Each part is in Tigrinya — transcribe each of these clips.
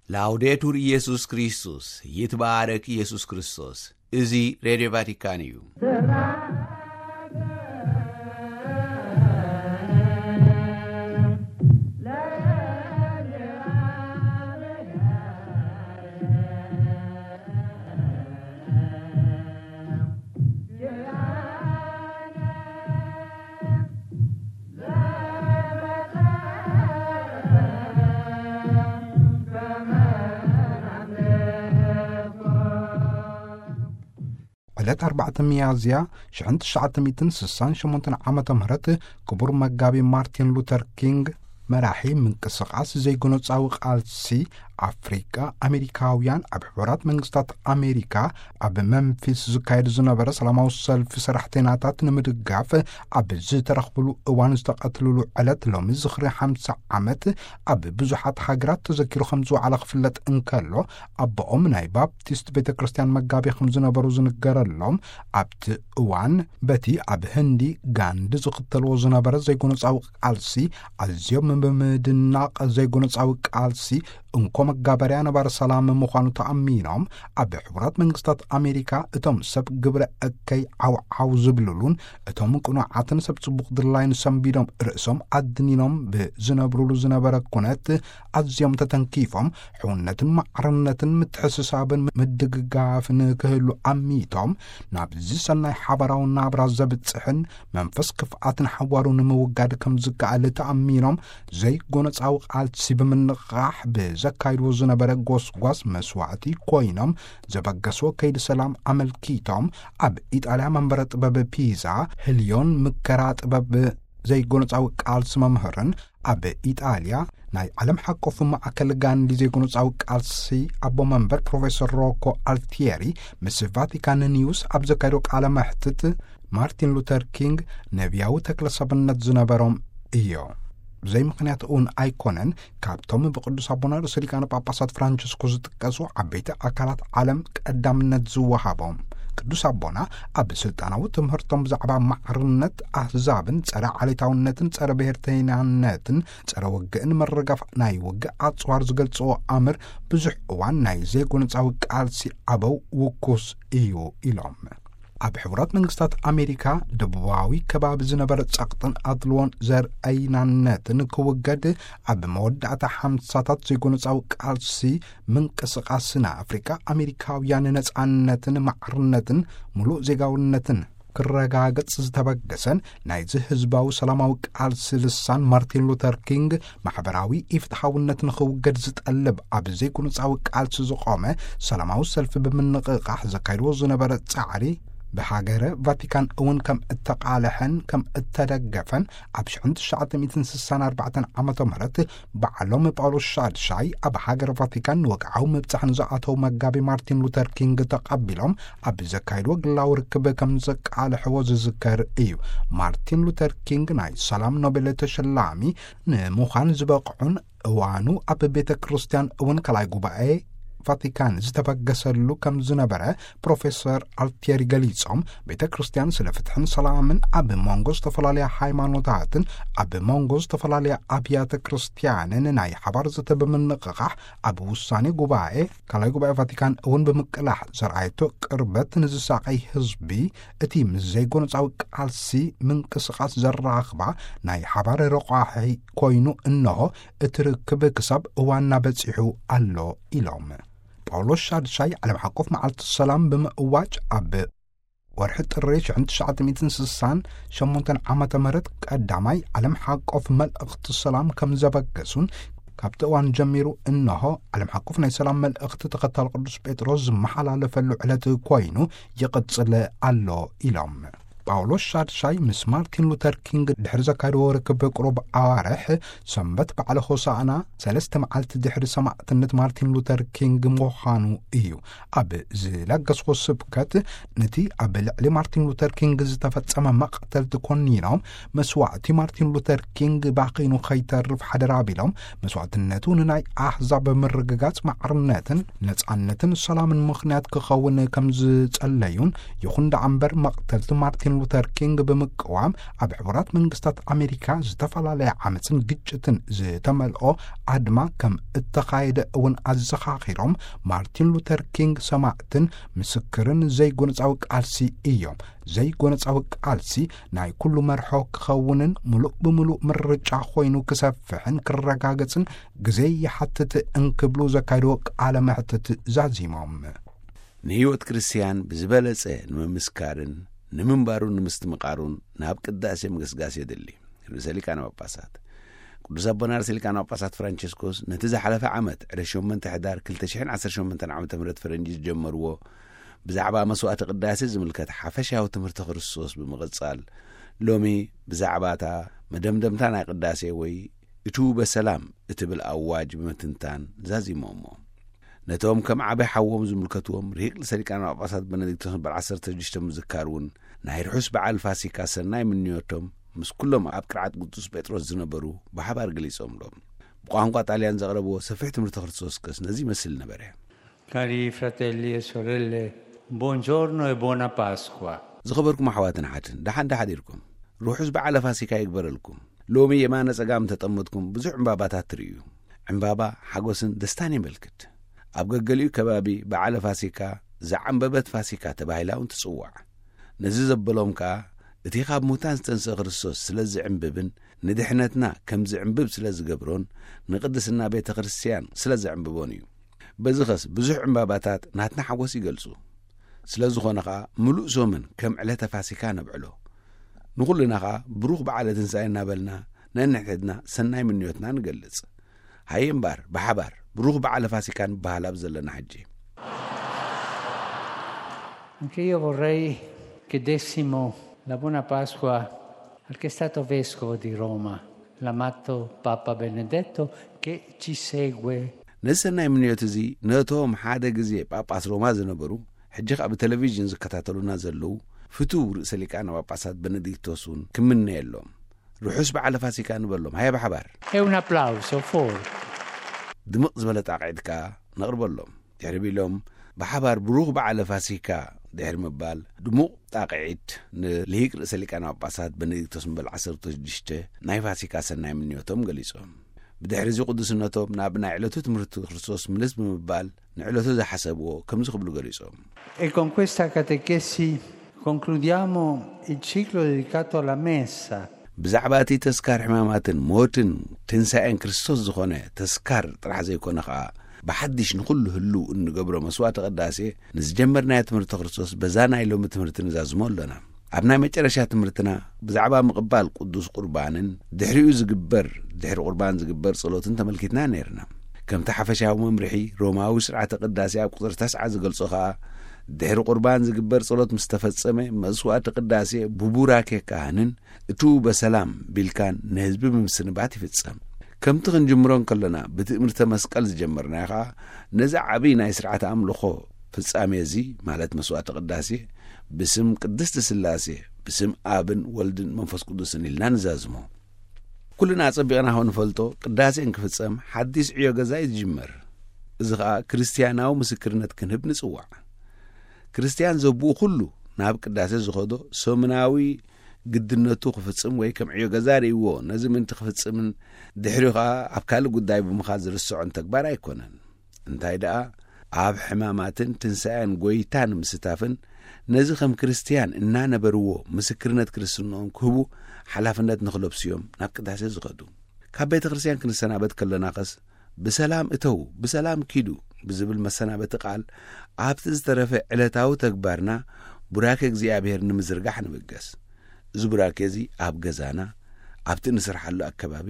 ላውዴቱር ኢየሱስ ክርስቶስ፣ ይትባረክ ኢየሱስ ክርስቶስ። እዚ ሬድዮ ቫቲካን እዩ። ዕለት ኣርባዕተ ሚያዝያ ሽሕን ትሽዓተ ሚእትን ስሳን ሸሞንተን ዓመተ ምህረት ክቡር መጋቢ ማርቲን ሉተር ኪንግ፣ መራሒ ምንቅስቓስ ዘይጎነጻዊ ቃልሲ ኣፍሪቃ ኣሜሪካውያን፣ ኣብ ሕቡራት መንግስታት ኣሜሪካ ኣብ መንፊስ ዝካየድ ዝነበረ ሰላማዊ ሰልፊ ሰራሕተኛታት ንምድጋፍ ኣብ ዝተረኽብሉ እዋን ዝተቐትልሉ ዕለት ሎሚ ዝኽሪ ሓምሳ ዓመት ኣብ ብዙሓት ሃገራት ተዘኪሩ ከም ዝወዓለ ክፍለጥ እንከሎ፣ ኣቦኦም ናይ ባፕቲስት ቤተ ክርስቲያን መጋቢ ከም ዝነበሩ ዝንገረሎም፣ ኣብቲ እዋን በቲ ኣብ ህንዲ ጋንዲ ዝኽተልዎ ዝነበረ ዘይጎነጻዊ ቃልሲ ኣዝዮም ብምድናቕ፣ ዘይጎነጻዊ ቃልሲ እንኮ መጋበርያ ነባሪ ሰላም ምዃኑ ተኣሚኖም፣ ኣብ ሕቡራት መንግስታት ኣሜሪካ እቶም ሰብ ግብረ እከይ ዓውዓው ዝብልሉን እቶም ቅኑዓትን ሰብ ጽቡቕ ድላይን ሰንቢዶም ርእሶም ኣድኒኖም ብዝነብሩሉ ዝነበረ ኩነት ኣዝዮም ተተንኪፎም፣ ሕውነትን ማዕርነትን ምትሕስሳብን ምድግጋፍን ክህሉ ኣሚቶም፣ ናብዚ ሰናይ ሓባራዊ ናብራ ዘብጽሕን መንፈስ ክፍኣትን ሓዋሩ ንምውጋድ ከም ዝከኣል ተኣሚኖም፣ ዘይጎነጻዊ ቃልሲ ብምንቕቓሕ ብዘካይድዎ ዝነበረ ጎስጓስ መስዋዕቲ ኮይኖም ዘበገስዎ ከይዲ ሰላም ኣመልኪቶም፣ ኣብ ኢጣልያ መንበረ ጥበብ ፒዛ ህልዮን ምከራ ጥበብ ዘይጎነጻዊ ቃልሲ መምህርን ኣብ ኢጣልያ ናይ ዓለም ሓቆፍ ማእከል ጋንዲ ዘይጎነጻዊ ቃልሲ ኣቦ መንበር ፕሮፌሰር ሮኮ ኣልቲየሪ ምስ ቫቲካን ኒውስ ኣብ ዘካየዶ ቃለ መሕትት፣ ማርቲን ሉተር ኪንግ ነቢያዊ ተክለ ሰብነት ዝነበሮም እዮ። ብዘይ ምኽንያት እውን ኣይኮነን፣ ካብቶም ብቅዱስ ኣቦና ርእሰ ሊቃነ ጳጳሳት ፍራንቸስኮ ዝጥቀሱ ዓበይቲ ኣካላት ዓለም ቀዳምነት ዝወሃቦም። ቅዱስ ኣቦና ኣብ ስልጣናዊ ትምህርቶም ብዛዕባ ማዕርነት ኣህዛብን ጸረ ዓሌታውነትን ጸረ ብሔርተይናነትን ጸረ ውግእን ምርጋፍ ናይ ውግእ ኣጽዋር ዝገልጽዎ ኣምር ብዙሕ እዋን ናይ ዘይጎነጻዊ ቃልሲ ኣበው ውኩስ እዩ ኢሎም። ኣብ ሕቡራት መንግስታት ኣሜሪካ ደቡባዊ ከባቢ ዝነበረ ጸቕጥን ኣድልዎን ዘርእይናነትን ክውገድ፣ ኣብ መወዳእታ ሓምሳታት ዘይጎነጻዊ ቃልሲ ምንቅስቓስ ንኣፍሪቃ ኣሜሪካውያን ነጻነትን ማዕርነትን ምሉእ ዜጋውነትን ክረጋገጽ ዝተበገሰን ናይዚ ህዝባዊ ሰላማዊ ቃልሲ ልሳን ማርቲን ሉተር ኪንግ፣ ማሕበራዊ ኢፍትሓውነት ንኽውገድ ዝጠልብ ኣብ ዘይጎነጻዊ ቃልሲ ዝቖመ ሰላማዊ ሰልፊ ብምንቕቓሕ ዘካይድዎ ዝነበረ ጻዕሪ፣ ብሃገረ ቫቲካን እውን ከም እተቓልሐን ከም እተደገፈን ኣብ ሽሕን ትሽዓተ ሚእትን ስሳን ኣርባዕተን ዓመተ ምህረት ባዕሎም ጳውሎስ ሻድሻይ ኣብ ሃገረ ቫቲካን ንወግዓዊ ምብጻሕ ንዝኣተው መጋቢ ማርቲን ሉተር ኪንግ ተቐቢሎም ኣብ ዘካይድዎ ግላዊ ርክብ ከም ዘቃልሕዎ ዝዝከር እዩ። ማርቲን ሉተር ኪንግ ናይ ሰላም ኖቤል ተሸላሚ ንምዃን ዝበቕዑን እዋኑ ኣብ ቤተ ክርስቲያን እውን ካልኣይ ጉባኤ ቫቲካን ዝተበገሰሉ ከም ዝነበረ ፕሮፌሰር ኣልቲየሪ ገሊጾም፣ ቤተ ክርስቲያን ስለ ፍትሕን ሰላምን ኣብ መንጎ ዝተፈላለያ ሃይማኖታትን ኣብ መንጎ ዝተፈላለያ ኣብያተ ክርስቲያንን ናይ ሓባር ዘተ ብምንቕቓሕ ኣብ ውሳኔ ጉባኤ ካልኣይ ጉባኤ ቫቲካን እውን ብምቅላሕ ዘርኣየቶ ቅርበት ንዝሳቐይ ህዝቢ እቲ ምስ ዘይጎነጻዊ ቃልሲ ምንቅስቓስ ዘራኽባ ናይ ሓባር ረቋሒ ኮይኑ እንሆ እቲ ርክብ ክሳብ እዋንና በጺሑ ኣሎ ኢሎም። ጳውሎስ ሻድሻይ ዓለም ሓቆፍ መዓልቲ ሰላም ብምእዋጅ ኣብ ወርሒ ጥሪ ሽሕን ትሽዓተ ሚእትን ስሳን ሸሞንተን ዓመተ ምህረት ቀዳማይ ዓለም ሓቆፍ መልእኽቲ ሰላም ከም ዘበገሱን ካብቲ እዋን ጀሚሩ እንሆ ዓለም ሓቆፍ ናይ ሰላም መልእኽቲ ተኸታሊ ቅዱስ ጴጥሮስ ዝመሓላለፈሉ ዕለት ኮይኑ ይቕጽል ኣሎ ኢሎም። ጳውሎስ ሻድሻይ ምስ ማርቲን ሉተር ኪንግ ድሕሪ ዘካየድዎ ርክብ ቁሩብ ኣዋርሕ ሰንበት በዓለ ሆሳዕና ሰለስተ መዓልቲ ድሕሪ ሰማዕትነት ማርቲን ሉተር ኪንግ ምዃኑ እዩ። ኣብ ዝለገስዎ ስብከት ነቲ ኣብ ልዕሊ ማርቲን ሉተር ኪንግ ዝተፈጸመ መቕተልቲ ኮኒኖም መስዋዕቲ ማርቲን ሉተር ኪንግ ባኺኑ ከይተርፍ ሓደራ ቢሎም መስዋዕትነቱ ንናይ ኣህዛብ ምርግጋጽ ማዕርነትን ነጻነትን ሰላምን ምኽንያት ክኸውን ከም ዝጸለዩን ይኹን ደኣ እምበር መቕተልቲ ማርቲን ሉተር ኪንግ ብምቅዋም ኣብ ሕቡራት መንግስታት ኣሜሪካ ዝተፈላለየ ዓመፅን ግጭትን ዝተመልኦ ኣድማ ከም እተኻየደ እውን ኣዘኻኺሮም፣ ማርቲን ሉተር ኪንግ ሰማዕትን ምስክርን ዘይጎነፃዊ ቃልሲ እዮም። ዘይጎነፃዊ ቃልሲ ናይ ኩሉ መርሖ ክኸውንን ምሉእ ብምሉእ ምርጫ ኮይኑ ክሰፍሕን ክረጋገፅን ግዜ ይሓትት እንክብሉ ዘካይድዎ ቃለ መሕትት ዛዚሞም። ንህይወት ክርስትያን ብዝበለጸ ንምምስካርን ንምንባሩን ንምስትምቓሩን ናብ ቅዳሴ ምግስጋስ የድሊ። ርእሰ ሊቃነ ጳጳሳት ቅዱስ ኣቦና ርእሰ ሊቃነ ጳጳሳት ፍራንቸስኮስ ነቲ ዝሓለፈ ዓመት ዕለት ሸሞንተ ሕዳር ክልተ ሽሕን ዓሰርተ ሸሞንተን ዓመተ ምህረት ፈረንጂ ዝጀመርዎ ብዛዕባ መስዋዕቲ ቅዳሴ ዝምልከት ሓፈሻዊ ትምህርቲ ክርስቶስ ብምቕጻል፣ ሎሚ ብዛዕባ እታ መደምደምታ ናይ ቅዳሴ ወይ እቱ በሰላም እትብል ኣዋጅ ብምትንታን ዛዚሞሞ። ነቶም ከም ዓቢ ሓዎም ዝምልከትዎም ርሂቅ ርእሰ ሊቃነ ጳጳሳት በነዲክቶስ በዓል ዓሰርተ ሽዱሽተ ምዝካር እውን ናይ ርሑስ በዓል ፋሲካ ሰናይ ምንዮቶም ምስ ኩሎም ኣብ ቅርዓት ቅዱስ ጴጥሮስ ዝነበሩ ብሓባር ገሊጾምሎም። ብቋንቋ ጣልያን ዘቕረብዎ ሰፊሕ ትምህርቲ ክርስቶስ ከስ ነዚ ይመስል ነበረ። Cari fratelli e sorelle, buongiorno e buona Pasqua. ዝኸበርኩም ኣሕዋትን ሓትን ደሓን ደሓዲርኩም። ርሑስ በዓለ ፋሲካ ይግበረልኩም። ሎሚ የማነ ጸጋም ተጠመጥኩም ብዙሕ ዕምባባታት ትርእዩ። ዕምባባ ሓጎስን ደስታን የመልክት። ኣብ ገገሊኡ ከባቢ በዓለ ፋሲካ ዘዓምበበት ፋሲካ ተባሂላ እውን ትጽዋዕ። ነዚ ዘበሎም ከኣ እቲ ካብ ሙታን ዝተንስአ ክርስቶስ ስለ ዝዕምብብን ንድሕነትና ከም ዝዕምብብ ስለ ዝገብሮን ንቅድስና ቤተ ክርስቲያን ስለ ዘዕምብቦን እዩ። በዚ ኸስ ብዙሕ ዕምባባታት ናትና ሓጎስ ይገልጹ። ስለ ዝኾነ ኸኣ ምሉእ ሶምን ከም ዕለተ ፋሲካ ነብዕሎ። ንኹልና ኸኣ ብሩኽ በዓለ ትንሳኤ እናበልና ነንሕድሕድና ሰናይ ምንዮትና ንገልጽ። ሃየ እምበኣር ብሓባር ብሩኽ በዓለ ፋሲካ ንበሃል ኣብ ዘለና ሕጂ። Anche io vorrei che dessimo la buona Pasqua al che è stato vescovo di Roma, l'amato Papa Benedetto, che ci segue. ነዚ ሰናይ ምንዮት እዚ ነቶም ሓደ ግዜ ጳጳስ ሮማ ዝነበሩ፣ ሕጂ ኸኣ ብቴሌቪዥን ዝከታተሉና ዘለዉ ፍቱው ርእሰ ሊቃነ ጳጳሳት በነዲክቶስ እውን ክምነየሎም። ርሑስ በዓለ ፋሲካ ንበሎም። ሃየ ብሓባር። E un applauso forte. ድምቕ ዝበለ ጣቕዒት ከኣ ነቕርበሎም። ድሕሪ ቢሎም ብሓባር ብሩኽ በዓለ ፋሲካ ድሕሪ ምባል ድሙቕ ጣቕዒት ንልሂቅ ርእሰ ሊቃነ ጳጳሳት በነዲክቶስ ምበል ዓሰርተ ሽዱሽተ ናይ ፋሲካ ሰናይ ምንዮቶም ገሊጾም። ብድሕሪ እዚ ቅዱስነቶም ናብ ናይ ዕለቱ ትምህርቲ ክርስቶስ ምልስ ብምባል ንዕለቱ ዝሓሰብዎ ከምዚ ክብሉ ገሊጾም። E con questa catechesi concludiamo il ciclo dedicato alla messa. ብዛዕባ እቲ ተስካር ሕማማትን ሞትን ትንሳኤን ክርስቶስ ዝኾነ ተስካር ጥራሕ ዘይኮነ ኸኣ ብሓድሽ ንኹሉ ህልው እንገብሮ መስዋዕቲ ቅዳሴ ንዝጀመርናዮ ትምህርቲ ክርስቶስ በዛ ናይ ሎሚ ትምህርቲ ንዛዝሞ ኣሎና። ኣብ ናይ መጨረሻ ትምህርትና ብዛዕባ ምቕባል ቅዱስ ቁርባንን ድሕሪኡ ዝግበር ድሕሪ ቁርባን ዝግበር ጸሎትን ተመልኪትና ነይርና። ከምቲ ሓፈሻዊ መምርሒ ሮማዊ ስርዓተ ቅዳሴ ኣብ ቁጽሪ ተስዓ ዝገልጾ ኸኣ ድሕሪ ቁርባን ዝግበር ጸሎት ምስ ተፈጸመ መስዋዕቲ ቅዳሴ ብቡራኬ ካህንን እቱ በሰላም ቢልካን ንህዝቢ ብምስንባት ይፍጸም። ከምቲ ክንጅምሮ እንከለና ብትእምርተ መስቀል ዝጀመርናዮ ኸኣ ነዚ ዓብዪ ናይ ስርዓተ ኣምልኾ ፍጻሜ እዚ ማለት መስዋዕቲ ቅዳሴ ብስም ቅድስቲ ስላሴ ብስም ኣብን ወልድን መንፈስ ቅዱስን ኢልና ንዛዝሞ። ኩልና ኣጸቢቕና ኸው ንፈልጦ ቅዳሴ እንክፍጸም ሓዲስ ዕዮ ገዛ እዩ ዝጅመር። እዚ ኸኣ ክርስትያናዊ ምስክርነት ክንህብ ንጽዋዕ። ክርስትያን ዘብኡ ኩሉ ናብ ቅዳሴ ዝኸዶ ሰሙናዊ ግድነቱ ክፍጽም ወይ ከም ዕዮ ገዛ ርእይዎ ነዚ ምእንቲ ክፍጽምን ድሕሪኡ ኸኣ ኣብ ካልእ ጉዳይ ብምኻድ ዝርስዖን ተግባር ኣይኮነን። እንታይ ደኣ ኣብ ሕማማትን ትንሳኤን ጎይታ ንምስታፍን ነዚ ከም ክርስትያን እናነበርዎ ምስክርነት ክርስትንኦም ክህቡ ሓላፍነት ንኽለብሱ እዮም ናብ ቅዳሴ ዝኸዱ። ካብ ቤተ ክርስትያን ክንሰናበት ከለና ኸስ ብሰላም እተው ብሰላም ኪዱ ብዝብል መሰናበቲ ቃል ኣብቲ ዝተረፈ ዕለታዊ ተግባርና ቡራኬ እግዚኣብሔር ንምዝርጋሕ ንብገስ። እዚ ቡራኬ እዚ ኣብ ገዛና ኣብቲ እንስርሓሉ ኣከባቢ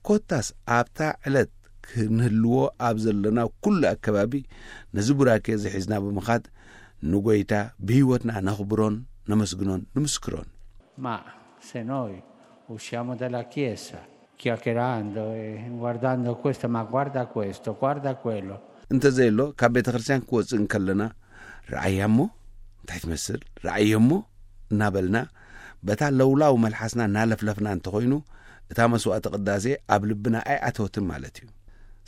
ኮታስ ኣብታ ዕለት ክንህልዎ ኣብ ዘለና ኩሉ ኣከባቢ ነዚ ቡራኬ እዚ ሒዝና ብምኻድ ንጎይታ ብህይወትና ነኽብሮን ነመስግኖን ንምስክሮን። Ma se noi usciamo dalla chiesa chiacchierando e guardando questo, ma guarda questo, guarda quello. እንተዘየሎ ካብ ቤተ ክርስቲያን ክወፅእ እንከለና ረኣያ እሞ እንታይ ትመስል ረኣዮ እሞ እናበልና በታ ለውላው መልሓስና እናለፍለፍና እንተኾይኑ እታ መስዋዕቲ ቅዳሴ ኣብ ልብና ኣይኣተወትን ማለት እዩ።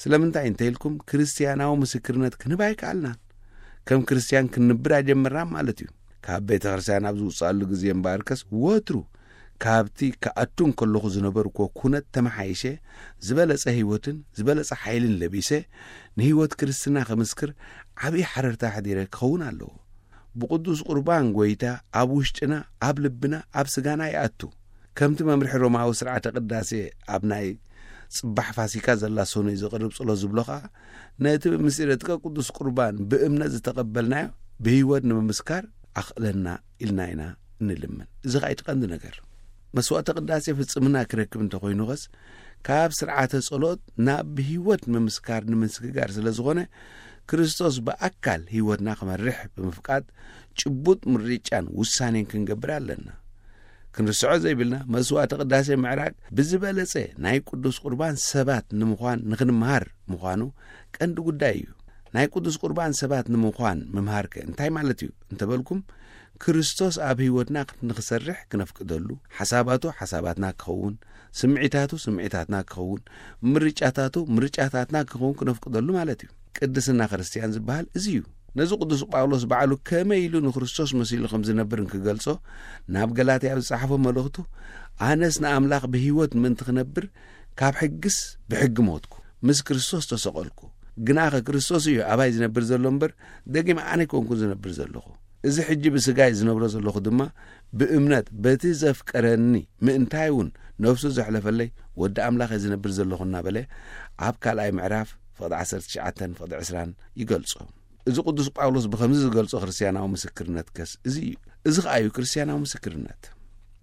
ስለምንታይ እንተኢልኩም ክርስትያናዊ ምስክርነት ክንህብ ኣይከኣልናን። ከም ክርስትያን ክንንብር ኣይጀመርናን ማለት እዩ። ካብ ቤተ ክርስቲያን ኣብ ዝውፅኣሉ ግዜ እምበኣርከስ፣ ወትሩ ካብቲ ክኣቱ እንከለኹ ዝነበርኩዎ ኩነት ተመሓይሸ፣ ዝበለጸ ህይወትን ዝበለጸ ሓይልን ለቢሰ፣ ንህይወት ክርስትና ክምስክር ዓብዪ ሓረርታ ኣሕዲረ ክኸውን ኣለዎ። ብቅዱስ ቁርባን ጎይታ ኣብ ውሽጥና፣ ኣብ ልብና፣ ኣብ ስጋና ይኣቱ። ከምቲ መምርሒ ሮማዊ ስርዓተ ቅዳሴ ኣብ ናይ ጽባሕ ፋሲካ ዘላ ሰኑይ ዝቕርብ ጸሎት ዝብሎ ኸኣ፣ ነቲ ብምስጢረ ጥቀ ቅዱስ ቁርባን ብእምነት ዝተቐበልናዮ ብህይወት ንምምስካር ኣኽእለና ኢልና ኢና እንልምን። እዚ ኸኣ እቲ ቀንዲ ነገር። መስዋዕተ ቅዳሴ ፍጽምና ክረክብ እንተኾይኑ ኸስ፣ ካብ ስርዓተ ጸሎት ናብ ብህይወት ምምስካር ንምስግጋር ስለ ዝኾነ፣ ክርስቶስ ብኣካል ህይወትና ክመርሕ ብምፍቃድ፣ ጭቡጥ ምርጫን ውሳኔን ክንገብር ኣለና። ክንርስዖ ዘይብልና፣ መስዋዕተ ቅዳሴ ምዕራግ ብዝበለጸ ናይ ቅዱስ ቁርባን ሰባት ንምዃን ንኽንምሃር ምዃኑ ቀንዲ ጉዳይ እዩ። ናይ ቅዱስ ቁርባን ሰባት ንምዃን ምምሃርከ እንታይ ማለት እዩ እንተበልኩም፣ ክርስቶስ ኣብ ህይወትና ንኽሰርሕ ክነፍቅደሉ፣ ሓሳባቱ ሓሳባትና ክኸውን፣ ስምዒታቱ ስምዒታትና ክኸውን፣ ምርጫታቱ ምርጫታትና ክኸውን ክነፍቅደሉ ማለት እዩ። ቅድስና ክርስትያን ዝበሃል እዚ እዩ። ነዚ ቅዱስ ጳውሎስ ባዕሉ ከመይ ኢሉ ንክርስቶስ መሲሉ ከም ዝነብር እንክገልጾ፣ ናብ ገላትያ ኣብ ዝጸሓፎ መልእኽቱ፣ "ኣነስ ንኣምላኽ ብህይወት ምእንቲ ክነብር፣ ካብ ሕግስ ብሕጊ ሞትኩ፣ ምስ ክርስቶስ ተሰቐልኩ። ግናኸ ክርስቶስ እዩ ኣባይ ዝነብር ዘሎ እምበር፣ ደጊም ኣነ ኣይኮንኩን ዝነብር ዘለኹ። እዚ ሕጂ ብስጋይ ዝነብሮ ዘለኹ ድማ ብእምነት በቲ ዘፍቀረኒ፣ ምእንታይ እውን ነፍሱ ዘሕለፈለይ ወዲ ኣምላኽ እየ ዝነብር ዘለኹ" እናበለ ኣብ ካልኣይ ምዕራፍ ፍቕዲ ዓሰርተ ትሽዓተን ፍቕዲ ዕስራን ይገልጾ። እዚ ቅዱስ ጳውሎስ ብኸምዚ ዝገልጾ ክርስትያናዊ ምስክርነት ከስ እዚ እዩ። እዚ ኸኣ እዩ ክርስትያናዊ ምስክርነት።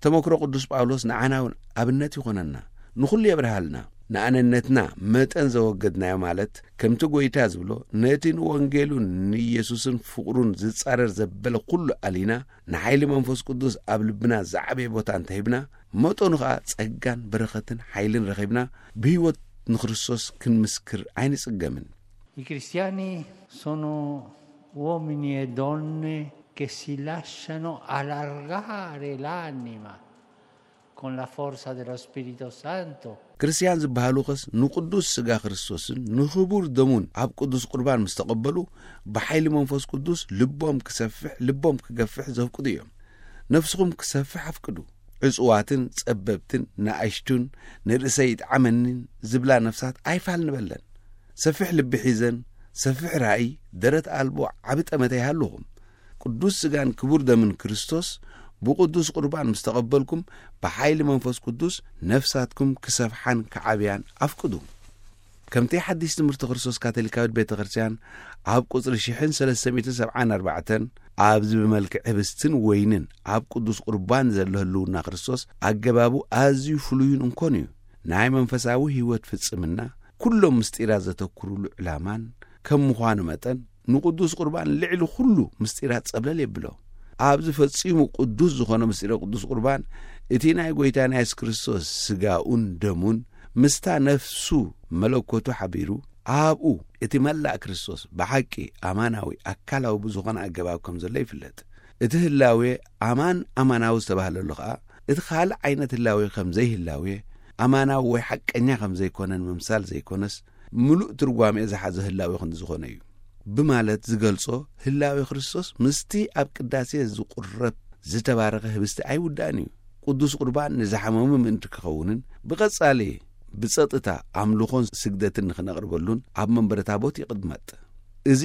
ተመክሮ ቅዱስ ጳውሎስ ንዓና እውን ኣብነት ይኾነና፣ ንኹሉ የብርሃልና። ንኣነነትና መጠን ዘወገድናዮ፣ ማለት ከምቲ ጐይታ ዝብሎ፣ ነቲ ንወንጌሉን ንኢየሱስን ፍቕሩን ዝጻረር ዘበለ ኩሉ ኣሊና፣ ንሓይሊ መንፈስ ቅዱስ ኣብ ልብና ዝዓበየ ቦታ እንተሂብና፣ መጠኑ ኸኣ ጸጋን በረኸትን ሓይልን ረኺብና፣ ብህይወት ንክርስቶስ ክንምስክር ኣይንጽገምን። I cristiani sono uomini e donne che si lasciano allargare l'anima con la forza dello Spirito Santo. ክርስትያን ዝበሃሉ ኸስ ንቅዱስ ስጋ ክርስቶስን ንኽቡር ደሙን ኣብ ቅዱስ ቁርባን ምስ ተቐበሉ፣ ብሓይሊ መንፈስ ቅዱስ ልቦም ክሰፍሕ፣ ልቦም ክገፍሕ ዘፍቅዱ እዮም። ነፍስኹም ክሰፍሕ ኣፍቅዱ። ዕጹዋትን ጸበብትን ንኣሽቱን ንርእሰይ ይጥዓመኒን ዝብላ ነፍሳት ኣይፋል ንበለን። ሰፊሕ ልቢ ሒዘን፣ ሰፊሕ ራእይ፣ ደረት ኣልቦ ዓቢ ጠመተ ይሃልኹም። ቅዱስ ስጋን ክቡር ደምን ክርስቶስ ብቅዱስ ቁርባን ምስ ተቐበልኩም፣ ብሓይሊ መንፈስ ቅዱስ ነፍሳትኩም ክሰፍሓን ክዓብያን ኣፍቅዱ። ከምቲ ሓድሽ ትምህርቲ ክርስቶስ ካቶሊካዊት ቤተ ክርስቲያን ኣብ ቁጽሪ ሽሕን ሰለስተ ሚእትን ሰብዓን ኣርባዕተን፣ ኣብዚ ብመልክዕ ህብስትን ወይንን ኣብ ቅዱስ ቁርባን ዘሎ ህልውና ክርስቶስ ኣገባቡ ኣዝዩ ፍሉይን እንኮን እዩ። ናይ መንፈሳዊ ህይወት ፍጽምና፣ ኩሎም ምስጢራት ዘተኩሩሉ ዕላማን ከም ምዃኑ መጠን፣ ንቅዱስ ቁርባን ልዕሊ ኩሉ ምስጢራት ጸብለል የብሎ። ኣብዚ ፈጺሙ ቅዱስ ዝኾነ ምስጢረ ቅዱስ ቁርባን፣ እቲ ናይ ጐይታና የሱስ ክርስቶስ ስጋኡን ደሙን ምስታ ነፍሱ መለኮቱ ሓቢሩ፣ ኣብኡ እቲ መላእ ክርስቶስ ብሓቂ ኣማናዊ ኣካላዊ ብዝኾነ ኣገባብ ከም ዘሎ ይፍለጥ። እቲ ህላዌ ኣማን ኣማናዊ ዝተባህለሉ ኸኣ፣ እቲ ካልእ ዓይነት ህላዌ ከም ዘይህላዌ፣ ኣማናዊ ወይ ሓቀኛ ከም ዘይኮነን ምምሳል ዘይኮነስ፣ ምሉእ ትርጓሜ ዝሓዘ ህላዌ ክንዲ ዝኾነ እዩ ብማለት ዝገልጾ፣ ህላዌ ክርስቶስ ምስቲ ኣብ ቅዳሴ ዝቑረብ ዝተባረኸ ህብስቲ ኣይውዳእን እዩ። ቅዱስ ቁርባን ንዝሓመሙ ምእንቲ ክኸውንን፣ ብቐጻሊ ብጸጥታ ኣምልኾን ስግደትን ንኽነቕርበሉን ኣብ መንበረ ታቦት ይቕመጥ። እዚ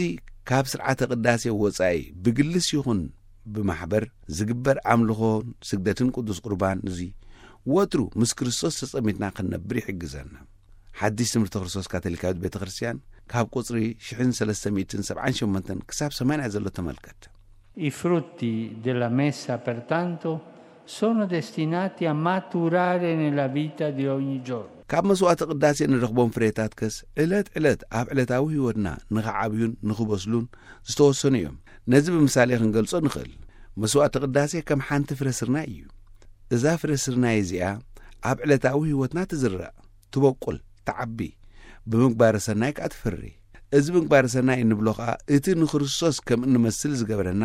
ካብ ስርዓተ ቅዳሴ ወጻኢ ብግልስ ይኹን ብማሕበር ዝግበር ኣምልኾን ስግደትን ቅዱስ ቁርባን እዚ ወትሩ ምስ ክርስቶስ ተጸሚድና ክንነብር ይሕግዘና። ሓድሽ ትምህርቲ ክርስቶስ ካቶሊካዊት ቤተ ክርስቲያን ካብ ቁጽሪ ሽሕን ሰለስተ ሚእትን ሰብዓን ሸሞንተን ክሳብ ሰማንያ ዘሎ ተመልከት። I frutti della messa, pertanto, sono destinati a maturare nella vita di ogni giorno. ካብ መስዋዕቲ ቅዳሴ እንረኽቦም ፍሬታት ከስ ዕለት ዕለት ኣብ ዕለታዊ ህይወትና ንኽዓብዩን ንኽበስሉን ዝተወሰኑ እዮም። ነዚ ብምሳሌ ክንገልጾ ንኽእል። መስዋዕቲ ቅዳሴ ከም ሓንቲ ፍረ ስርናይ እዩ። እዛ ፍረ ስርናይ እዚኣ ኣብ ዕለታዊ ህይወትና ትዝራእ፣ ትበቁል፣ ትዓቢ፣ ብምግባረ ሰናይ ከኣ ትፈሪ። እዚ ምግባረ ሰናይ እንብሎ ከኣ እቲ ንክርስቶስ ከም እንመስል ዝገብረና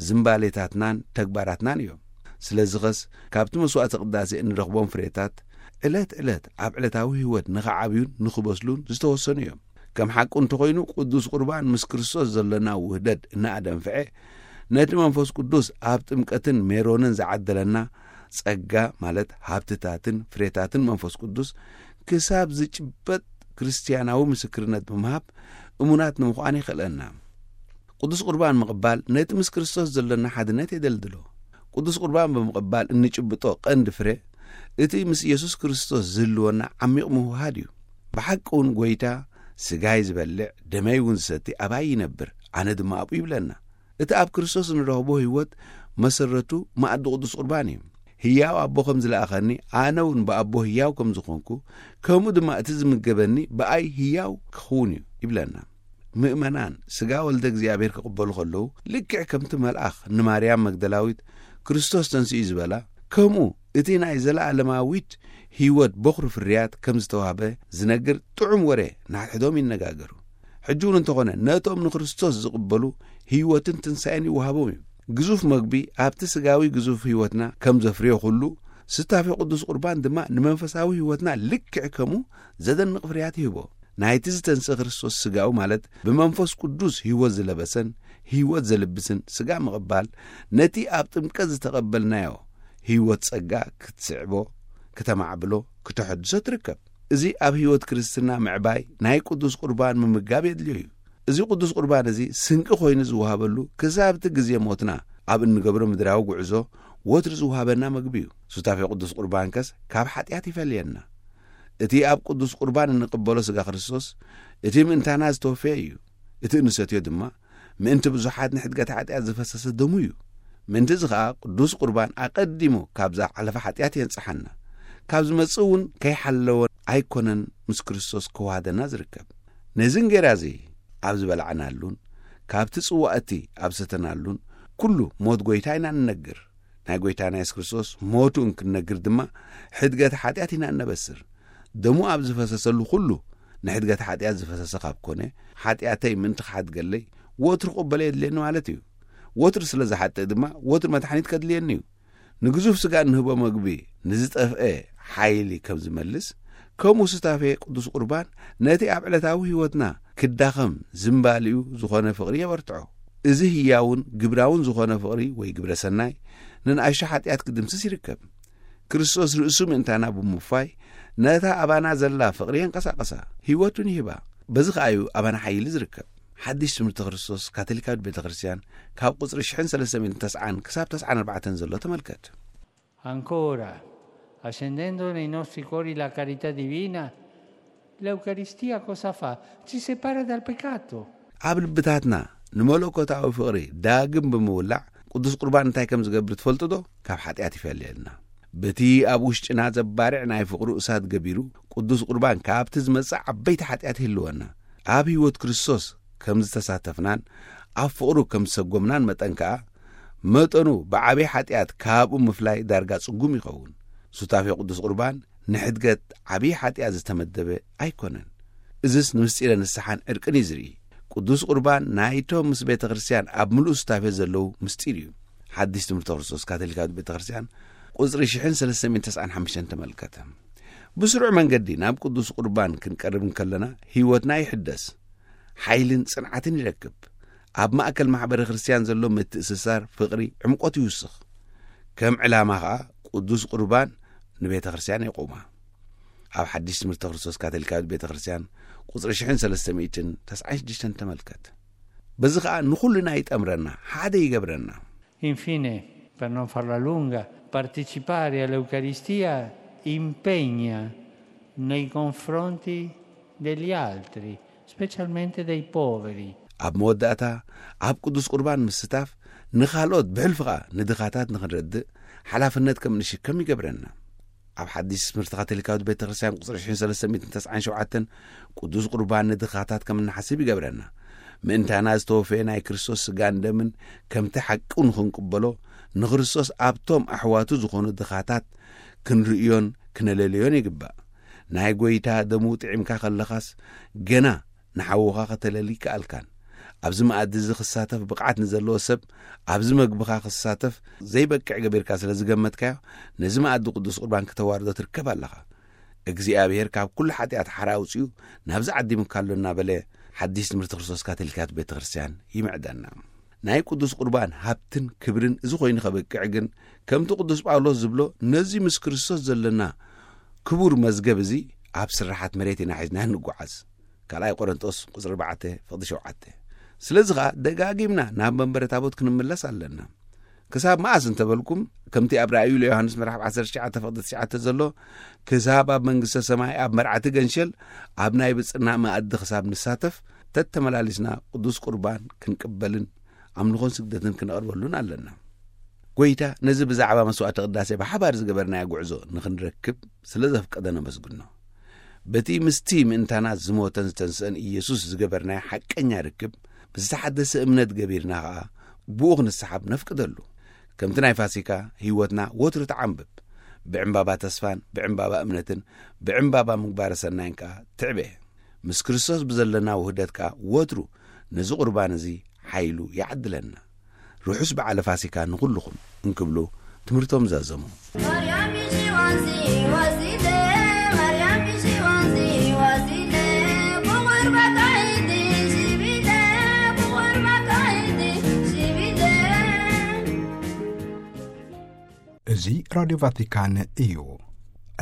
ዝምባሌታትናን ተግባራትናን እዮም። ስለዚ ኸስ ካብቲ መስዋዕቲ ቅዳሴ እንረኽቦም ፍሬታት ዕለት ዕለት ኣብ ዕለታዊ ህይወት ንኽዓብዩን ንኽበስሉን ዝተወሰኑ እዮም። ከም ሓቁ እንተኾይኑ ቅዱስ ቁርባን ምስ ክርስቶስ ዘለና ውህደት እናኣደንፍዐ ነቲ መንፈስ ቅዱስ ኣብ ጥምቀትን ሜሮንን ዝዓደለና ጸጋ፣ ማለት ሃብትታትን ፍሬታትን መንፈስ ቅዱስ፣ ክሳብ ዝጭበጥ ክርስትያናዊ ምስክርነት ብምሃብ እሙናት ንምዃን የኽእለና። ቅዱስ ቁርባን ምቕባል ነቲ ምስ ክርስቶስ ዘሎና ሓድነት የደልድሎ። ቅዱስ ቁርባን ብምቕባል እንጭብጦ ቀንዲ ፍረ፣ እቲ ምስ ኢየሱስ ክርስቶስ ዝህልወና ዓሚቕ ምውሃድ እዩ። ብሓቂ እውን ጎይታ፣ "ስጋይ ዝበልዕ ደመይ እውን ዝሰቲ ኣባይ ይነብር፣ ኣነ ድማ ኣብኡ" ይብለና። እቲ ኣብ ክርስቶስ እንረኽቦ ህይወት መሰረቱ መኣዲ ቅዱስ ቁርባን እዩ። ህያው ኣቦ ከም ዝለኣኸኒ፣ ኣነ እውን ብኣቦ ህያው ከም ዝኾንኩ፣ ከምኡ ድማ እቲ ዝምገበኒ ብኣይ ህያው ክኸውን እዩ ይብለና። ምእመናን ስጋ ወልደ እግዚኣብሔር ክቕበሉ ከለዉ፣ ልክዕ ከምቲ መልኣኽ ንማርያም መግደላዊት "ክርስቶስ ተንሲኡ" ዝበላ፣ ከምኡ እቲ ናይ ዘለኣለማዊት ህይወት በኹሪ ፍርያት ከም ዝተዋህበ ዝነግር ጥዑም ወረ ንሓድሕዶም ይነጋገሩ። ሕጂ እውን እንተኾነ ነቶም ንክርስቶስ ዝቕበሉ ህይወትን ትንሳኤን ይወሃቦም እዩ። ግዙፍ መግቢ ኣብቲ ስጋዊ ግዙፍ ህይወትና ከም ዘፍርዮ ኩሉ፣ ስታፌ ቅዱስ ቁርባን ድማ ንመንፈሳዊ ህይወትና ልክዕ ከምኡ ዘደንቕ ፍርያት ይህቦ። ናይቲ ዝተንስእ ክርስቶስ ስጋኡ፣ ማለት ብመንፈስ ቅዱስ ህይወት ዝለበሰን ህይወት ዘልብስን ስጋ ምቕባል፣ ነቲ ኣብ ጥምቀት ዝተቐበልናዮ ህይወት ጸጋ ክትስዕቦ፣ ክተማዕብሎ፣ ክተሐድሶ ትርከብ። እዚ ኣብ ህይወት ክርስትና ምዕባይ ናይ ቅዱስ ቁርባን ምምጋብ የድልዮ እዩ። እዚ ቅዱስ ቁርባን እዚ ስንቂ ኮይኑ ዝወሃበሉ፣ ክሳብ እቲ ግዜ ሞትና ኣብ እንገብሮ ምድራዊ ጉዕዞ ወትሩ ዝወሃበና መግቢ እዩ። ሱታፌ ቅዱስ ቁርባን ከስ ካብ ሓጢኣት ይፈልየና። እቲ ኣብ ቅዱስ ቁርባን እንቕበሎ ስጋ ክርስቶስ፣ እቲ ምእንታና ዝተወፈየ እዩ። እቲ እንሰትዮ ድማ ምእንቲ ብዙሓት ንሕድገት ሓጢኣት ዝፈሰሰ ደሙ እዩ። ምእንቲ እዚ ኸኣ ቅዱስ ቁርባን ኣቐዲሙ ካብዛ ሓለፈ ሓጢኣት የንጽሓና። ካብ ዝመጽእ እውን ከይሓለወ ኣይኮነን ምስ ክርስቶስ ክዋሃደና ዝርከብ። ነዚ እንጌራ እዚ ኣብ ዝበላዕናሉን ካብቲ ጽዋእ እቲ ኣብ ሰተናሉን ኩሉ ሞት ጎይታ ኢና ንነግር። ናይ ጎይታና የሱስ ክርስቶስ ሞቱ እንክንነግር ድማ ሕድገት ሓጢኣት ኢና እነበስር። ደሙ ኣብ ዝፈሰሰሉ ኩሉ ንሕድገት ሓጢኣት ዝፈሰሰ ካብ ኮነ፣ ሓጢኣተይ ምእንቲ ክሓድገለይ ወትሩ ክቕበሎ የድልየኒ ማለት እዩ። ወትሩ ስለ ዝሓጥእ ድማ ወትሩ መድሓኒት ከድልየኒ እዩ። ንግዙፍ ስጋ እንህቦ መግቢ ንዝጠፍአ ሓይሊ ከም ዝመልስ፣ ከምኡ ስታፌ ቅዱስ ቁርባን ነቲ ኣብ ዕለታዊ ህይወትና ክዳኸም ዝምባሊኡ ዝኾነ ፍቕሪ የበርትዖ። እዚ ህያውን ግብራውን ዝኾነ ፍቕሪ ወይ ግብረ ሰናይ ንንኣሽቱ ሓጢኣት ክድምስስ ይርከብ። ክርስቶስ ርእሱ ምእንታና ብምውፋይ ነታ ኣባና ዘላ ፍቕሪ የንቀሳቐሳ፣ ህይወቱን ይህባ። በዚ ኸኣ እዩ ኣባና ሓይሊ ዝርከብ። ሓድሽ ትምህርቲ ክርስቶስ ካቶሊካዊት ቤተ ክርስቲያን ካብ ቁጽሪ ሽሕን ሰለስተ ሚእትን ተስዓን ክሳብ ተስዓን ኣርባዕተን ዘሎ ተመልከት። Ancora, accendendo nei nostri cuori la carità divina, l'Eucaristia cosa fa? Ci separa dal peccato. ኣብ ልብታትና ንመለኮታዊ ፍቕሪ ዳግም ብምውላዕ ቅዱስ ቁርባን እንታይ ከም ዝገብር ትፈልጡ ዶ? ካብ ሓጢኣት ይፈልየልና። በቲ ኣብ ውሽጥና ዘባርዕ ናይ ፍቕሩ እሳት ገቢሩ ቅዱስ ቁርባን ካብቲ ዝመጽእ ዓበይቲ ሓጢኣት ይህልወና። ኣብ ህይወት ክርስቶስ ከም ዝተሳተፍናን ኣብ ፍቕሩ ከም ዝሰጎምናን መጠን ከኣ መጠኑ ብዓበይ ሓጢኣት ካብኡ ምፍላይ ዳርጋ ጽጉም ይኸውን። ሱታፌ ቅዱስ ቁርባን ንሕድገት ዓብዪ ሓጢኣት ዝተመደበ ኣይኮነን። እዝስ ንምስጢረ ንስሓን ዕርቅን እዩ ዝርኢ። ቅዱስ ቁርባን ናይቶም ምስ ቤተ ክርስቲያን ኣብ ምሉእ ሱታፌ ዘለዉ ምስጢር እዩ። ሓድሽ ትምህርቲ ክርስቶስ ካቶሊካዊት ቤተ ክርስቲያን ቁጽሪ ሽሕን ሰለስተ ሚእትን ተስዓን ሓሙሽተን ተመልከተ። ብስሩዕ መንገዲ ናብ ቅዱስ ቁርባን ክንቀርብ እንከለና ህይወትና ይሕደስ፣ ሓይልን ጽንዓትን ይረክብ። ኣብ ማእከል ማሕበረ ክርስቲያን ዘሎ ምትእስሳር ፍቕሪ ዕምቆት ይውስኽ። ከም ዕላማ ኸኣ ቅዱስ ቁርባን ንቤተ ክርስቲያን የቑማ። ኣብ ሓድሽ ትምህርቲ ክርስቶስ ካቶሊካዊት ቤተ ክርስቲያን ቁጽሪ ሽሕን ሰለስተ ሚእትን ተስዓን ሽዱሽተን ተመልከት። በዚ ኸኣ ንኹልና ይጠምረና፣ ሓደ ይገብረና። Infine, per non farla lunga, partecipare all'Eucaristia impegna nei confronti degli altri, specialmente dei poveri. ኣብ መወዳእታ ኣብ ቅዱስ ቁርባን ምስታፍ ንኻልኦት ብሕልፊ ኸኣ ንድኻታት ንኽንረድእ ሓላፍነት ከም እንሽከም ይገብረና። ኣብ ሓድሽ ትምህርቲ ካቶሊካዊት ቤተ ክርስቲያን ቁጽሪ ሽሕን ሰለስተ ሚእትን ተስዓን ሸውዓተን ቅዱስ ቁርባን ንድኻታት ከም እንሓስብ ይገብረና። ምእንታና ዝተወፈየ ናይ ክርስቶስ ስጋን ደምን ከምቲ ሓቂ ንኽንቅበሎ ንክርስቶስ ኣብቶም ኣሕዋቱ ዝኾኑ ድኻታት ክንርእዮን ክነለልዮን ይግባእ። ናይ ጎይታ ደሙ ጥዒምካ ከለኻስ ገና ንሓውኻ ከተለሊ ይከኣልካን። ኣብዚ መኣዲ እዚ ክሳተፍ ብቕዓት ንዘለዎ ሰብ ኣብዚ መግብኻ ክሳተፍ ዘይበቅዕ ገቢርካ ስለ ዝገመትካዮ ነዚ መኣዲ ቅዱስ ቁርባን ክተዋርዶ ትርከብ ኣለኻ። እግዚኣብሔር ካብ ኩሉ ሓጢኣት ሓራ ኣውጺኡ ናብዚ ዓዲሙካ ኣሎ እናበለ ሓድሽ ትምህርቲ ክርስቶስ ካቶሊካት ቤተ ክርስቲያን ይምዕደና። ናይ ቅዱስ ቁርባን ሃብትን ክብርን እዚ ኮይኑ ከበቅዕ ግን፣ ከምቲ ቅዱስ ጳውሎስ ዝብሎ፣ ነዚ ምስ ክርስቶስ ዘለና ክቡር መዝገብ እዚ ኣብ ስራሓት መሬት ኢና ሒዝና ንጓዓዝ። ካልኣይ ቆሮንጦስ ቁጽሪ ኣርባዕተ ፍቕዲ ሸውዓተ። ስለዚ ኸኣ ደጋጊምና ናብ መንበረ ታቦት ክንምለስ ኣለና። ክሳብ መኣስ እንተበልኩም፣ ከምቲ ኣብ ራእዩ ለዮሃንስ ምዕራፍ ዓሰርተ ትሽዓተ ፍቕዲ ትሽዓተ ዘሎ፣ ክሳብ ኣብ መንግስተ ሰማይ ኣብ መርዓቲ ገንሸል ኣብ ናይ ብጽና መኣዲ ክሳብ ንሳተፍ፣ ተተመላሊስና ቅዱስ ቁርባን ክንቅበልን ኣምልኾን ስግደትን ክንቐርበሉን ኣለና። ጎይታ ነዚ ብዛዕባ መስዋዕቲ ቅዳሴ ብሓባር ዝገበርናዮ ጉዕዞ ንኽንረክብ ስለ ዘፍቀደ ነመስግኖ። በቲ ምስቲ ምእንታና ዝሞተን ዝተንስአን ኢየሱስ ዝገበርናዮ ሓቀኛ ርክብ፣ ብዝተሓደሰ እምነት ገቢርና ኸኣ ብኡ ክንሰሓብ ነፍቅደሉ። ከምቲ ናይ ፋሲካ ህይወትና ወትሩ ተዓንብብ። ብዕምባባ ተስፋን ብዕምባባ እምነትን ብዕምባባ ምግባረ ሰናይን ከኣ ትዕበ። ምስ ክርስቶስ ብዘለና ውህደት ከኣ ወትሩ ነዚ ቁርባን እዚ ሓይሉ ይዓድለና። ርሑስ በዓለ ፋሲካ ንኹልኹም እንክብሉ ትምህርቶም ዛዘሙ። ማርያም ይሽዋንዚ ወዚለ፣ ማርያም ይሽዋንዚ ወዚለ፣ ብቑርባ ካይዲ ሽቢለ፣ ብቑርባ ካይዲ ሽቢለ። እዚ ራድዮ ቫቲካን እዩ።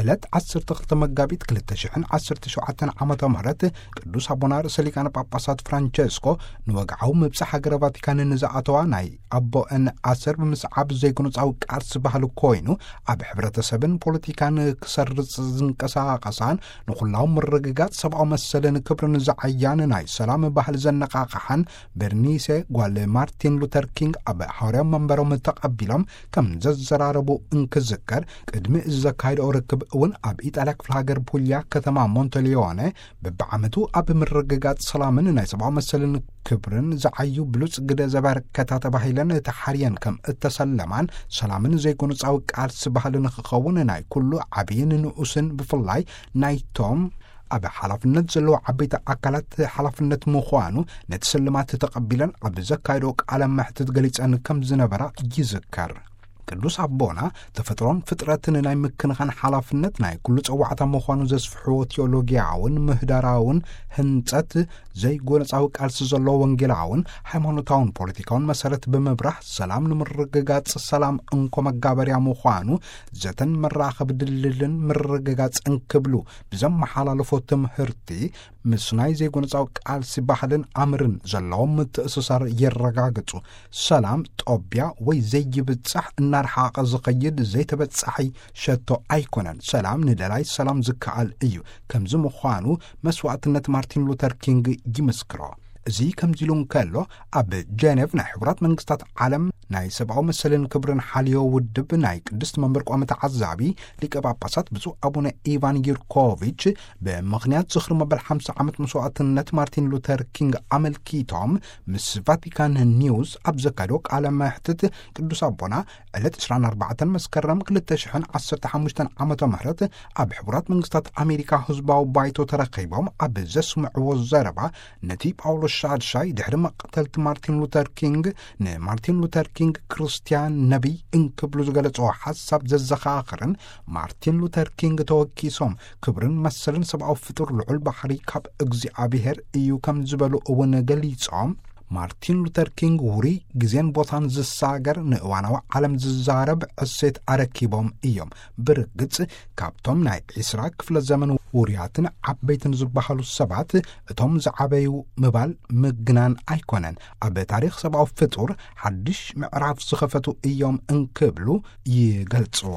ዕለት ዓሰርተ ክልተ መጋቢት ክልተ ሽሕን ዓሰርተ ሸውዓተን ዓመተ ምህረት ቅዱስ ኣቦና ርእሰ ሊቃነ ጳጳሳት ፍራንቸስኮ ንወግዓዊ ምብጻሕ ሃገረ ቫቲካን ንዝኣተዋ ናይ ኣቦአን ኣሰር ብምስዓብ ዘይጎነጻዊ ቃልሲ ባህሊ ኮይኑ፣ ኣብ ሕብረተሰብን ፖለቲካን ክሰርጽ ዝንቀሳቐሳን ንኹላዊ ምርግጋጽ ሰብኣዊ መሰልን ክብርን ዝዓያን ናይ ሰላም ባህሊ ዘነቓቕሓን በርኒሴ ጓል ማርቲን ሉተር ኪንግ ኣብ ሓዋርያዊ መንበሮም ተቐቢሎም ከም ዘዘራረቡ እንክዝከር፣ ቅድሚ እዚ ዘካየድኦ ርክብ እውን ኣብ ኢጣልያ ክፍለ ሃገር ፑልያ ከተማ ሞንተሊዮነ በብዓመቱ ኣብ ምርግጋጽ ሰላምን ናይ ሰብኣዊ መሰልን ክብርን ዝዓዩ ብሉጽ ግደ ዘበርከታ ተባሂለን ተሓርየን ከም እተሰለማን፣ ሰላምን ዘይጎነጻዊ ቃልሲ ባህሊ ንኽኸውን ናይ ኩሉ ዓብይን ንኡስን ብፍላይ ናይቶም ኣብ ሓላፍነት ዘለዉ ዓበይቲ ኣካላት ሓላፍነት ምዃኑ ነቲ ስልማት ተቐቢለን ኣብ ዘካየዶ ቃለ መሕትት ገሊጸን ከም ዝነበራ ይዝከር። ቅዱስ ኣቦና ተፈጥሮን ፍጥረትን ናይ ምክንኻን ሓላፍነት ናይ ኩሉ ጸዋዕታ ምዃኑ ዘስፍሕዎ ቴዎሎጊያውን ምህዳራውን ህንጸት ዘይጎነጻዊ ቃልሲ ዘለዎ ወንጌላውን ሃይማኖታውን ፖለቲካውን መሰረት ብምብራህ ሰላም ንምርግጋጽ ሰላም እንኮ መጋበርያ ምዃኑ ዘተን መራኸቢ ድልድልን ምርግጋጽ እንክብሉ ብዘመሓላለፎ ትምህርቲ ምስ ናይ ዘይጎነጻዊ ቃልሲ ባህልን ኣምርን ዘለዎም ምትእስሳር የረጋግጹ። ሰላም ጦብያ ወይ ዘይብጻሕ እናርሓቐ ዝኸይድ ዘይተበጻሒ ሸቶ ኣይኮነን። ሰላም ንደላይ ሰላም ዝከኣል እዩ። ከምዚ ምዃኑ መስዋዕትነት ማርቲን ሉተር ኪንግ ይምስክሮ። እዚ ከምዚ ኢሉ እንከሎ፣ ኣብ ጀኔቭ ናይ ሕቡራት መንግስታት ዓለም ናይ ሰብኣዊ መሰልን ክብርን ሓልዮ ውድብ ናይ ቅድስቲ መንበር ቋሚ ተዓዛቢ ሊቀ ጳጳሳት ብፁዕ ኣቡነ ኢቫን ጊርኮቪች ብምኽንያት ዝኽሪ መበል ሓምሳ ዓመት መስዋዕትነት ማርቲን ሉተር ኪንግ ኣመልኪቶም ምስ ቫቲካን ኒውስ ኣብ ዘካየዶ ቃለ መሕትት፣ ቅዱስ ኣቦና ዕለት ዕስራን ኣርባዕተን መስከረም ክልተ ሽሕን ዓሰርተ ሓሙሽተን ዓመተ ምህረት ኣብ ሕቡራት መንግስታት ኣሜሪካ ህዝባዊ ባይቶ ተረኺቦም ኣብ ዘስምዕዎ ዘረባ፣ ነቲ ጳውሎስ ሻድሻይ ድሕሪ መቕተልቲ ማርቲን ሉተር ኪንግ ንማርቲን ሉተር ኪንግ ክርስትያን ነቢይ እንክብሉ ዝገለጽዎ ሓሳብ ዘዘኻኽርን፣ ማርቲን ሉተር ኪንግ ተወኪሶም ክብርን መሰልን ሰብኣዊ ፍጡር ልዑል ባሕሪ ካብ እግዚኣብሔር እዩ ከም ዝበሉ እውን ገሊጾም፣ ማርቲን ሉተር ኪንግ ውሩይ ግዜን ቦታን ዝሳገር ንእዋናዊ ዓለም ዝዛረብ ዕሴት ኣረኪቦም እዮም። ብርግጽ ካብቶም ናይ ዒስራ ክፍለ ዘመን ውሩያትን ዓበይትን ዝበሃሉ ሰባት እቶም ዝዓበዩ ምባል ምግናን ኣይኮነን። ኣብ ታሪኽ ሰብኣዊ ፍጡር ሓድሽ ምዕራፍ ዝኸፈቱ እዮም እንክብሉ ይገልጽዎ።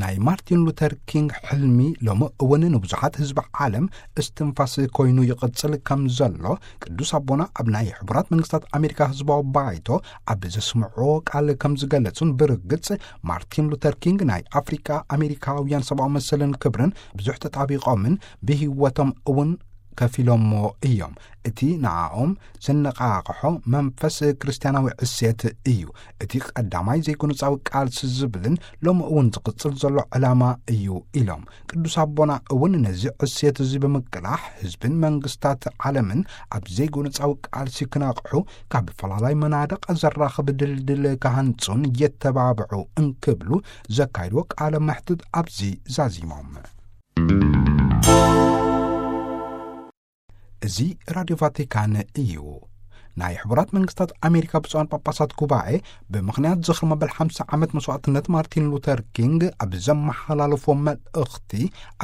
ናይ ማርቲን ሉተር ኪንግ ሕልሚ ሎሚ እውን ንብዙሓት ህዝቢ ዓለም እስትንፋስ ኮይኑ ይቕጽል ከም ዘሎ ቅዱስ ኣቦና ኣብ ናይ ሕቡራት መንግስታት ኣሜሪካ ህዝባዊ ባይቶ ኣብ ዘስምዕዎ ቃል ከም ዝገለጹን፣ ብርግጽ ማርቲን ሉተር ኪንግ ናይ ኣፍሪቃ ኣሜሪካውያን ሰብኣዊ መሰልን ክብርን ብዙሕ ተጣቢቖምን ብህይወቶም እውን ከፊሎሞ እዮም። እቲ ንዓኦም ዘነቓቕሖ መንፈስ ክርስትያናዊ ዕሴት እዩ። እቲ ቀዳማይ ዘይጎነጻዊ ቃልሲ ዝብልን ሎሚ እውን ዝቕጽል ዘሎ ዕላማ እዩ ኢሎም። ቅዱስ ኣቦና እውን ነዚ ዕሴት እዚ ብምቅላሕ ህዝብን መንግስታት ዓለምን ኣብ ዘይጎነጻዊ ቃልሲ ክነቕሑ፣ ካብ ፈላላይ መናድቕ ዘራኽብ ድልድል ክሃንጹን የተባብዑ እንክብሉ ዘካይድዎ ቃለ መሕትት ኣብዚ ዛዚሞም። እዚ ራድዮ ቫቲካን እዩ። ናይ ሕቡራት መንግስታት ኣሜሪካ ብፁዓን ጳጳሳት ጉባኤ ብምኽንያት ዝኽሪ መበል ሓምሳ ዓመት መስዋእትነት ማርቲን ሉተር ኪንግ ኣብ ዘመሓላለፎ መልእኽቲ፣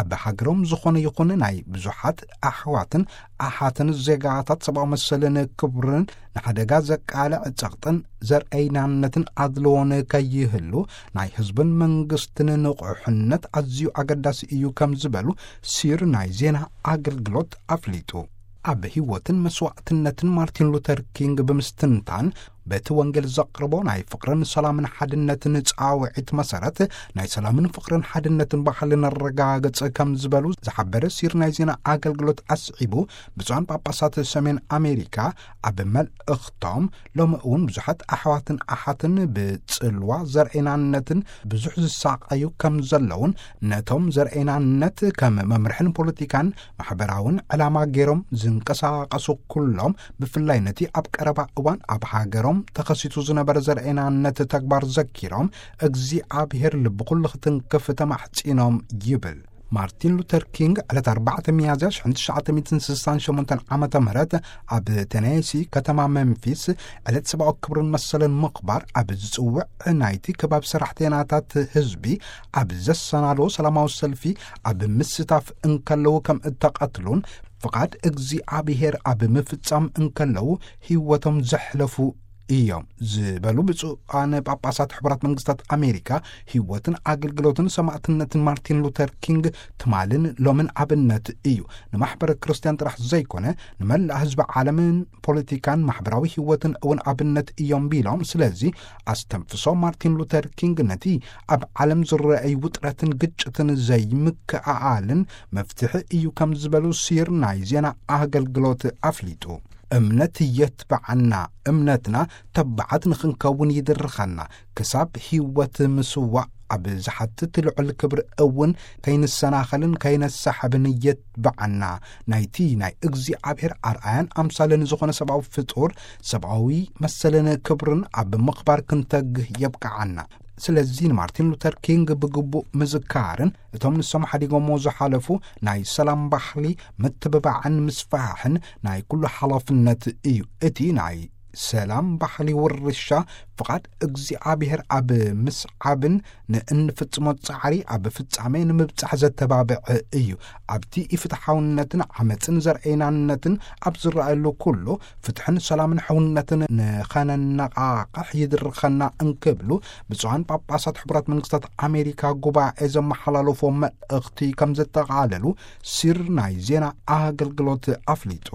ኣብ ሃገሮም ዝኾነ ይኹን ናይ ብዙሓት ኣሕዋትን ኣሓትን ዜጋታት ሰብኣዊ መሰልን ክብርን ንሓደጋ ዘቃልዕ ጸቕጥን ዘርእይናነትን ኣድልዎን ከይህሉ ናይ ህዝብን መንግስትን ንቑሕነት ኣዝዩ ኣገዳሲ እዩ ከም ዝበሉ ሲር ናይ ዜና ኣገልግሎት ኣፍሊጡ። ኣብ ህይወትን መስዋእትነትን ማርቲን ሉተር ኪንግ ብምስትንታን፣ በቲ ወንጌል ዘቕርቦ ናይ ፍቕርን ሰላምን ሓድነትን ጻውዒት መሰረት፣ ናይ ሰላምን ፍቕርን ሓድነትን ባህሊ ነረጋግጽ ከም ዝበሉ ዝሓበረ ሲር ናይ ዜና ኣገልግሎት ኣስዒቡ፣ ብፁዓን ጳጳሳት ሰሜን ኣሜሪካ ኣብ መልእኽቶም፣ ሎሚ እውን ብዙሓት ኣሕዋትን ኣሓትን ብጽልዋ ዘርእናነትን ብዙሕ ዝሳቐዩ ከም ዘለውን፣ ነቶም ዘርእናነት ከም መምርሕን ፖለቲካን ማሕበራውን ዕላማ ገይሮም ዝንቀሳቐሱ ኩሎም፣ ብፍላይ ነቲ ኣብ ቀረባ እዋን ኣብ ሃገሮም ተኸሲቱ ዝነበረ ዘርእናነት ተግባር ዘኪሮም፣ እግዚኣብሔር ልቢ ኩሉ ክትንክፍ ተማሕጺኖም ይብል። ማርቲን ሉተር ኪንግ ዕለት ኣርባዕተ ሚያዝያ ሽሕን ትሽዓተ ሚእትን ስሳን ሸሞንተን ዓመተ ምህረት ኣብ ቴነሲ ከተማ መምፊስ ዕለት ሰብኣዊ ክብርን መሰልን ምኽባር ኣብ ዝጽውዕ ናይቲ ከባቢ ሰራሕተኛታት ህዝቢ ኣብ ዘሰናዶ ሰላማዊ ሰልፊ ኣብ ምስታፍ እንከለዉ ከም እተቐትሉን ፍቓድ እግዚኣብሔር ኣብ ምፍጻም እንከለዉ ህይወቶም ዘሕለፉ እዮም ዝበሉ ብፁዓን ጳጳሳት ሕቡራት መንግስታት ኣሜሪካ፣ ህይወትን ኣገልግሎትን ሰማዕትነትን ማርቲን ሉተር ኪንግ ትማልን ሎምን ኣብነት እዩ። ንማሕበረ ክርስትያን ጥራሕ ዘይኮነ፣ ንመላእ ህዝቢ ዓለምን ፖለቲካን ማሕበራዊ ህይወትን እውን ኣብነት እዮም ቢሎም፣ ስለዚ ኣስተንፍሶ ማርቲን ሉተር ኪንግ ነቲ ኣብ ዓለም ዝረኣይ ውጥረትን ግጭትን ዘይምክእኣልን መፍትሒ እዩ ከም ዝበሉ ሲር ናይ ዜና ኣገልግሎት ኣፍሊጡ። እምነት የትብዓና፣ እምነትና ተባዓት ንኽንከውን ይድርኸና፣ ክሳብ ህይወት ምስዋእ ኣብ ዝሓትት ልዑል ክብሪ እውን ከይንሰናኸልን ከይነሳሕብን የትብዓና። ናይቲ ናይ እግዚኣብሔር ኣርኣያን ኣምሳልን ዝኾነ ሰብኣዊ ፍጡር ሰብኣዊ መሰልን ክብርን ኣብ ምኽባር ክንተግህ የብቅዓና። ስለዚ ንማርቲን ሉተር ኪንግ ብግቡእ ምዝካርን እቶም ንሶም ሓዲጎሞ ዝሓለፉ ናይ ሰላም ባህሊ ምትብባዕን ምስፍሕፋሕን ናይ ኩሉ ሓላፍነት እዩ። እቲ ናይ ሰላም ባህሊ ውርሻ ፍቓድ እግዚኣብሔር ኣብ ምስዓብን ንእንፍጽሞ ጻዕሪ ኣብ ፍጻሜ ንምብጻሕ ዘተባብዕ እዩ። ኣብቲ ኢፍትሓውነትን ዓመጽን ዘርእናነትን ኣብ ዝረኣየሉ ኩሉ፣ ፍትሕን ሰላምን ሕውነትን ንኸነነቓቕሕ ይድርኸና እንክብሉ ብፁዓን ጳጳሳት ሕቡራት መንግስታት ኣሜሪካ ጉባኤ ዘመሓላለፎ መልእኽቲ ከም ዘጠቓለሉ ሲር ናይ ዜና ኣገልግሎት ኣፍሊጡ።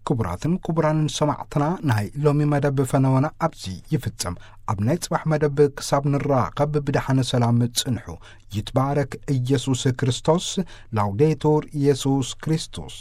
ክቡራትን ክቡራንን ሰማዕትና፣ ናይ ሎሚ መደብ ፈነወና ኣብዚ ይፍጽም። ኣብ ናይ ጽባሕ መደብ ክሳብ ንራኸብ ብደሓነ ሰላም ጽንሑ። ይትባረክ ኢየሱስ ክርስቶስ። ላውዴቱር ኢየሱስ ክርስቶስ።